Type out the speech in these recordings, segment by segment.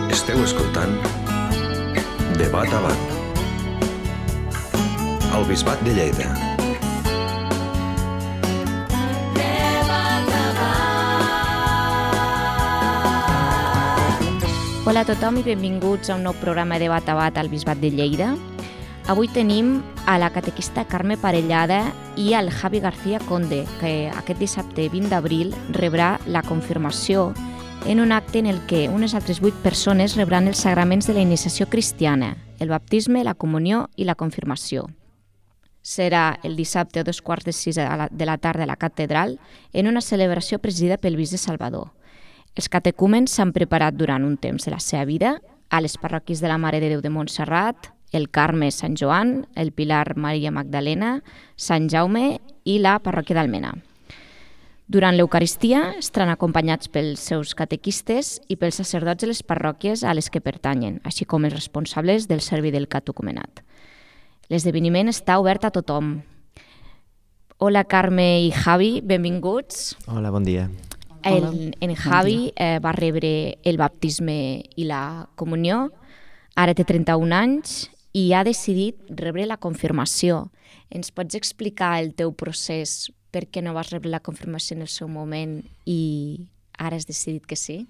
Esteu escoltant De Bat a Bat al Bisbat de Lleida. Hola a tothom i benvinguts a un nou programa de Bat a Bat al Bisbat de Lleida. Avui tenim a la catequista Carme Parellada i al Javi García Conde, que aquest dissabte 20 d'abril rebrà la confirmació en un acte en el que unes altres 8 persones rebran els sagraments de la iniciació cristiana, el baptisme, la comunió i la confirmació. Serà el dissabte a 5:15 de la tarda a la catedral en una celebració presidida pel bisbe de Salvador. Els catecúmens s'han preparat durant un temps de la seva vida a les parròquies de la Mare de Déu de Montserrat, el Carme Sant Joan, el Pilar Maria Magdalena, Sant Jaume i la parròquia d'Almena. Durant l'Eucaristia estaran acompanyats pels seus catequistes i pels sacerdots de les parròquies a les que pertanyen, així com els responsables del servei del catecumenat. L'esdeveniment està obert a tothom. Hola Carme i Javi, benvinguts. Hola, bon dia. En Javi va rebre el baptisme i la comunió, ara té 31 anys i ha decidit rebre la confirmació. Ens pots explicar el teu procés? Per què no vas rebre la confirmació en el seu moment i ara has decidit que sí?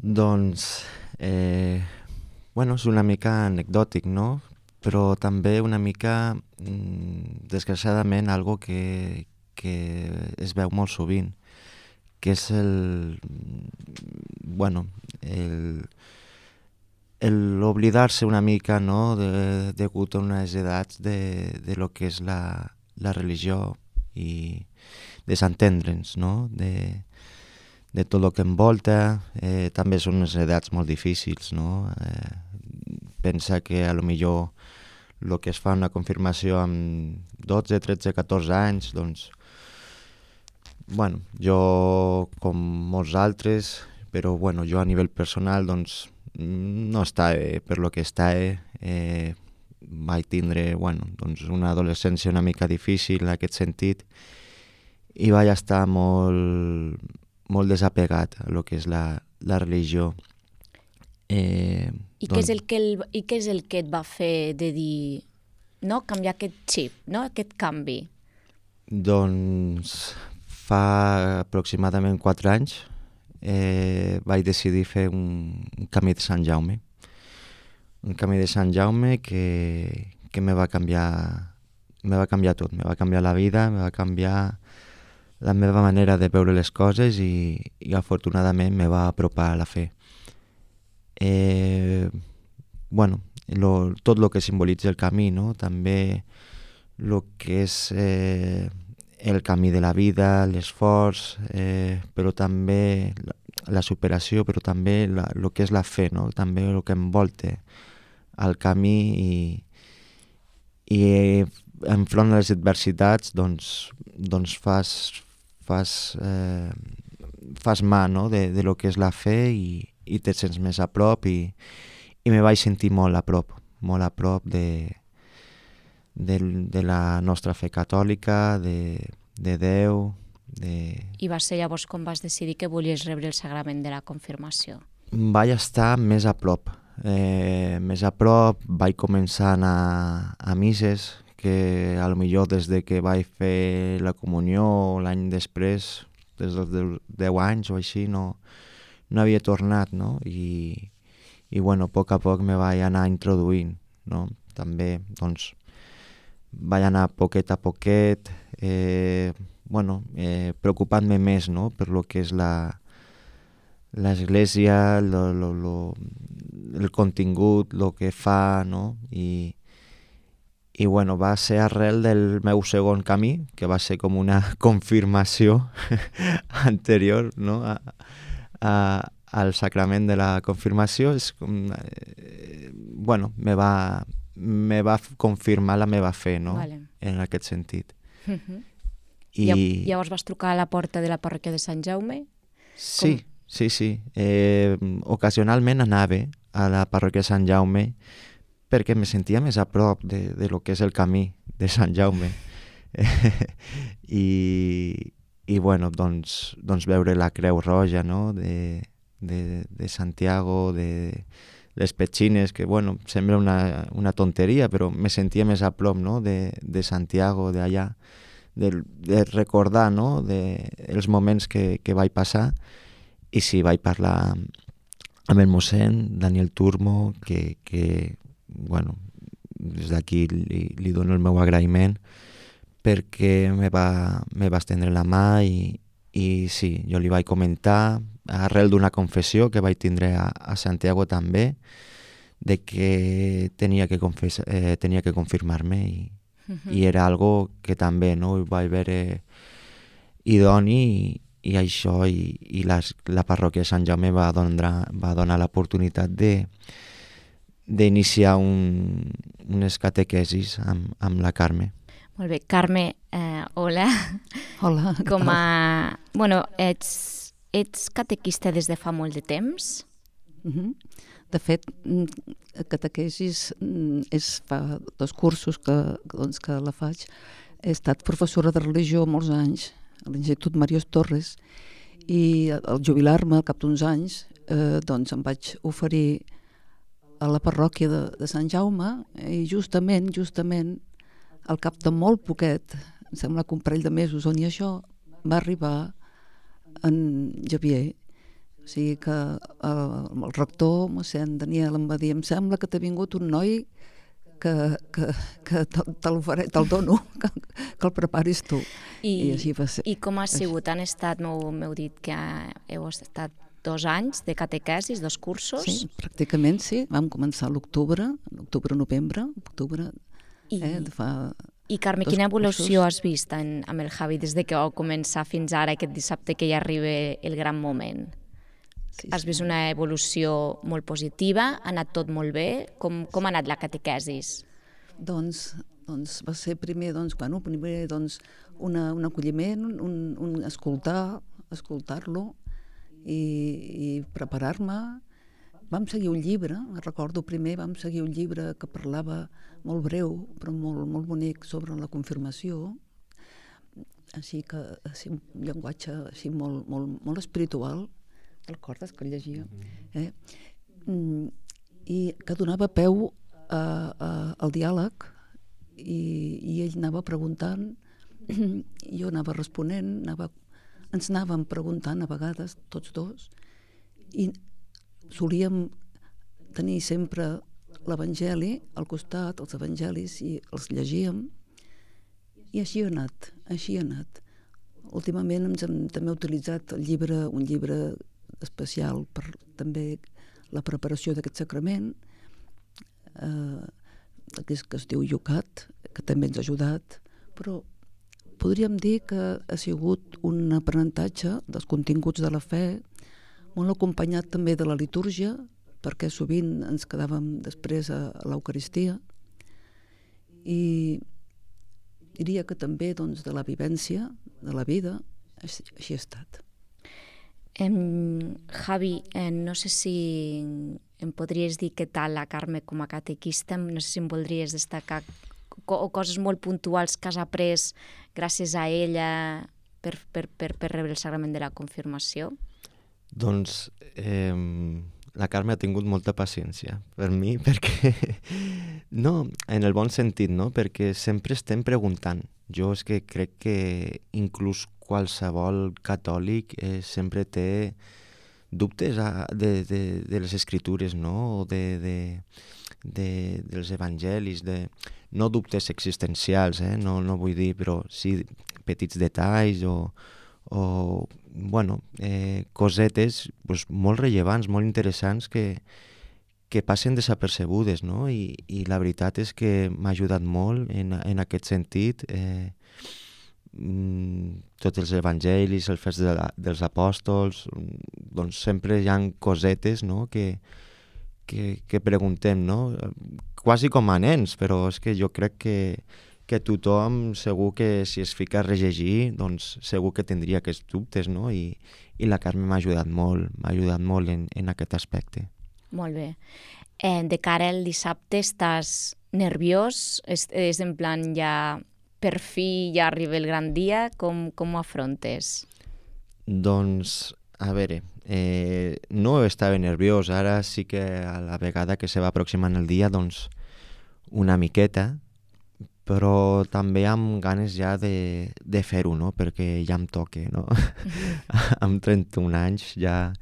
Doncs, és una mica anecdòtic, no? Però també una mica, desgraciadament, algo que es veu molt sovint, que és l'oblidar-se una mica, no?, degut a unes edats de lo que és la religió i desentendre'ns, no?, de tot el que envolta. També són unes edats molt difícils, no? Pensa que a lo millor el que es fa una confirmació amb 12, 13, 14 anys, doncs, jo com molts altres, però jo a nivell personal doncs no estava per lo que estava. Vaig tindre una adolescència una mica difícil en aquest sentit i vaig estar molt desapegat a lo que és la religió. I què és el que et va fer de dir, no, canviar aquest xip, no, aquest canvi? Doncs fa aproximadament 4 anys vaig decidir fer un camí de Sant Jaume. Un camí de Sant Jaume que me va canviar tot, me va canviar la vida, me va canviar la meva manera de veure les coses i afortunadament me va apropar a la fe. Tot el que simbolitza el camí, no? També el que és el camí de la vida, l'esforç, però també la superació, però també el que és la fe, no? També el que envolta el camí i enfront de les adversitats doncs fas mà, no?, de lo que és la fe i te sents més a prop i me vaig sentir molt a prop de la nostra fe catòlica, de Déu. I va ser llavors quan vas decidir que volies rebre el sagrament de la confirmació? Vaig estar més a prop, vaig començar a anar a misses, que a lo millor des de que vaig fer la comunió l'any després, des dels 10 anys o així, no havia tornat, no? I a poc a poc me vaig anar introduint, no? També, doncs, vaig anar poquet a poquet, preocupant-me més, no?, per lo que és l'església, el contingut, el que fa, no? I va ser arrel del meu segon camí, que va ser com una confirmació anterior, no?, al sacrament de la confirmació. És com, me va confirmar la meva fe, no?, vale, en aquest sentit. I llavors vas trucar a la porta de la parròquia de Sant Jaume? Sí. Ocasionalment anava a la parròquia de Sant Jaume perquè me sentia més a prop de lo que és el camí de Sant Jaume. I, i bueno, doncs veure la Creu Roja, no? de Santiago, de les petxines, que bueno, sembla una tonteria, però me sentia més a prop, no?, de Santiago, d'allà, de recordar, no?, els moments que vaig passar. I sí, vaig parlar amb el mossèn Daniel Turmo, que bueno, des d'aquí li dono el meu agraïment, perquè me va estendre la mà i sí, jo li vaig comentar, arrel d'una confessió que vaig tindre a Santiago també, de que tenia que confirmar-me i era algo que també, no, vaig veure idoni i això i la parròquia de Sant Jaume va donar l'oportunitat d'iniciar unes catequesis amb la Carme. Molt bé. Carme, hola. Hola. Bueno, ets catequista des de fa molt de temps? De fet, catequesis fa 2 cursos que la faig. He estat professora de religió molts anys a l'Institut Mariós Torres i al jubilar-me al cap d'uns anys doncs em vaig oferir a la parròquia de Sant Jaume i justament al cap de molt poquet, em sembla que un parell de mesos on hi això, va arribar en Javier. O sigui que el rector, mossèn Daniel, em va dir: em sembla que t'ha vingut un noi que te'l dono, que el preparis tu. I així va ser. I com ha sigut? Han estat, m'heu dit que heu estat 2 anys de catequesis, 2 cursos? Sí, pràcticament sí. Vam començar a l'octubre, novembre, I Carme, quina evolució has vist amb el Javi des de que vau començar fins ara, aquest dissabte que ja arriba el gran moment? Sí. Has vist una evolució molt positiva? Ha anat tot molt bé? Com ha anat la catequesis? Doncs va ser primer un acolliment, un escoltar-lo i preparar-me. Vam seguir un llibre, recordo primer, un llibre que parlava molt breu, però molt bonic, sobre la confirmació, així que un llenguatge així molt espiritual. Te'l recordes que el llegia? I que donava peu al diàleg i ell anava preguntant, jo anava responent, ens anàvem preguntant a vegades, tots dos, i solíem tenir sempre l'Evangeli al costat, els evangelis, i els llegíem, i així ha anat. Últimament també he utilitzat un llibre especial per també la preparació d'aquest sacrament, que es diu Yucat, que també ens ha ajudat, però podríem dir que ha sigut un aprenentatge dels continguts de la fe, molt acompanyat també de la litúrgia, perquè sovint ens quedàvem després a l'Eucaristia, i diria que també de la vivència, de la vida, així ha estat. Javi, no sé si em podries dir què tal la Carme com a catequista, no sé si em voldries destacar coses molt puntuals que has après gràcies a ella per rebre el sagrament de la confirmació. Doncs la Carme ha tingut molta paciència per mi, perquè no, en el bon sentit, no? Perquè sempre estem preguntant. Jo és que crec que inclús qualsevol catòlic sempre té dubtes de les escritures, no? O dels evangelis, no dubtes existencials, no vull dir, però sí petits detalls o bueno, cosetes molt rellevants, molt interessants que passen desapercebudes, no? I la veritat és que m'ha ajudat molt en aquest sentit. Tots els evangelis, els fets dels apòstols, doncs sempre hi ha cosetes, no? que preguntem, no? Quasi com a nens, però és que jo crec que tothom segur que si es fica a rellegir, doncs segur que tindria aquests dubtes, no? I la Carme m'ha ajudat molt en aquest aspecte. Molt bé. De cara al dissabte, estàs nerviós? És en plan ja per fi ja arriba el gran dia? Com ho afrontes? Doncs a veure, no estava nerviós, ara sí que a la vegada que se va aproximant el dia, doncs una miqueta, però també amb ganes ja de fer-ho, no? Perquè ja em toca, no? Amb 31 anys ja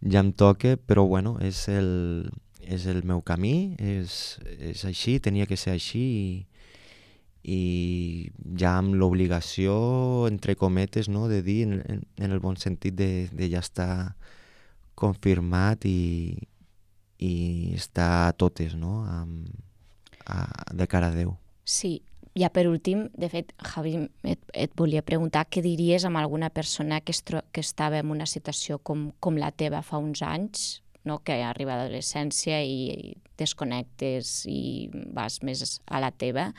em toca, però bueno, és el meu camí, és així, tenia que ser així i ja amb l'obligació, entre cometes, no? De dir, en el bon sentit de ja estar confirmat i estar a totes, no? De cara a Déu. Sí, ja per últim, de fet, Javi, et volia preguntar què diries amb alguna persona que estava en una situació com la teva fa uns anys, no? Que arriba a l'adolescència i desconnectes i vas més a la teva.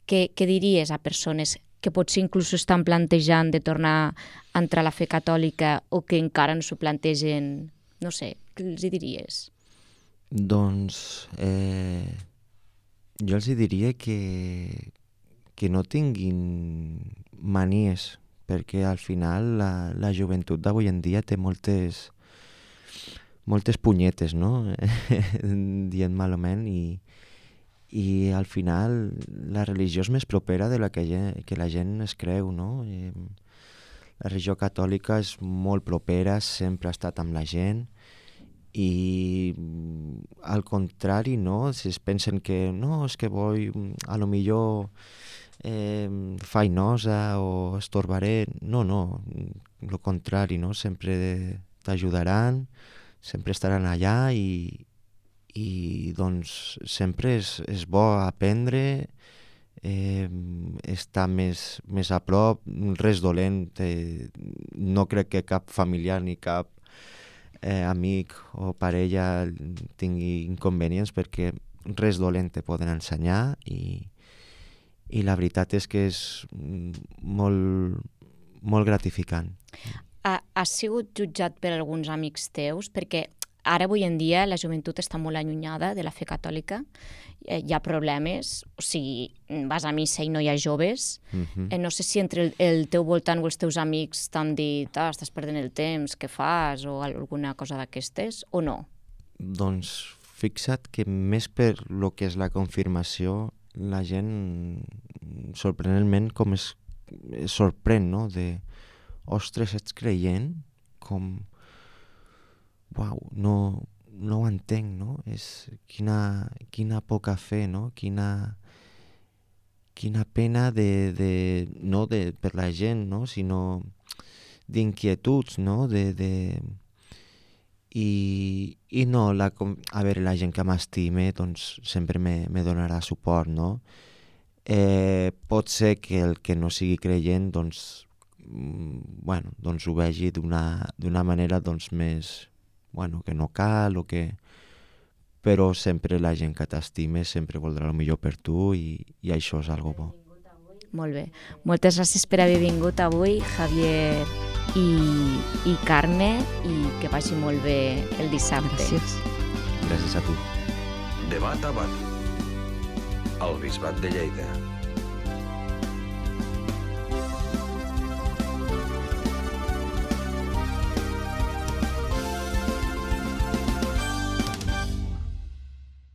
Què diries a persones que potser inclús estan plantejant de tornar a entrar a la fe catòlica o que encara no s'ho plantegen? No sé, què els diries? Doncs jo els diria que no tinguin manies, perquè al final la joventut d'avui en dia té moltes punyetes, no? Dient malament, i al final la religió és més propera de la que la gent es creu, no? La religió catòlica és molt propera, sempre ha estat amb la gent, i al contrari, no? Si es pensen que no, és que a lo millor fainosa o estorbaré, no, lo contrari, no? Sempre t'ajudaran, sempre estaran allà i doncs sempre és bo aprendre, estar més a prop, res dolent, no crec que cap familiar ni cap amic o parella tingui inconvenients, perquè res dolent te poden ensenyar i la veritat és que és molt gratificant. Has sigut jutjat per alguns amics teus? Perquè ara, avui en dia, la joventut està molt allunyada de la fe catòlica. Hi ha problemes, o sigui, vas a missa i no hi ha joves. No sé si entre el teu voltant o els teus amics t'han dit estàs perdent el temps, què fas, o alguna cosa d'aquestes, o no? Doncs fixa't que més per lo que és la confirmació, la gent sorprenentment com es sorprèn, no? Ostres, ets creient? Com... Uau, no ho entenc, no? És quina poca fe, no? Quina pena no per la gent, no? Sinó d'inquietuds, no? I no, a veure, la gent que m'estime doncs sempre me donarà suport, no? Pot ser que el que no sigui creient doncs ho vegi d'una manera doncs més que no cal o que... Però sempre la gent que t'estime sempre voldrà el millor per tu i això és algo bo. Molt bé. Moltes gràcies per haver vingut avui, Javier i Carme, i que vagi molt bé el dissabte. Gràcies. Gràcies a tu. Debat a Bat, al Bisbat de Lleida.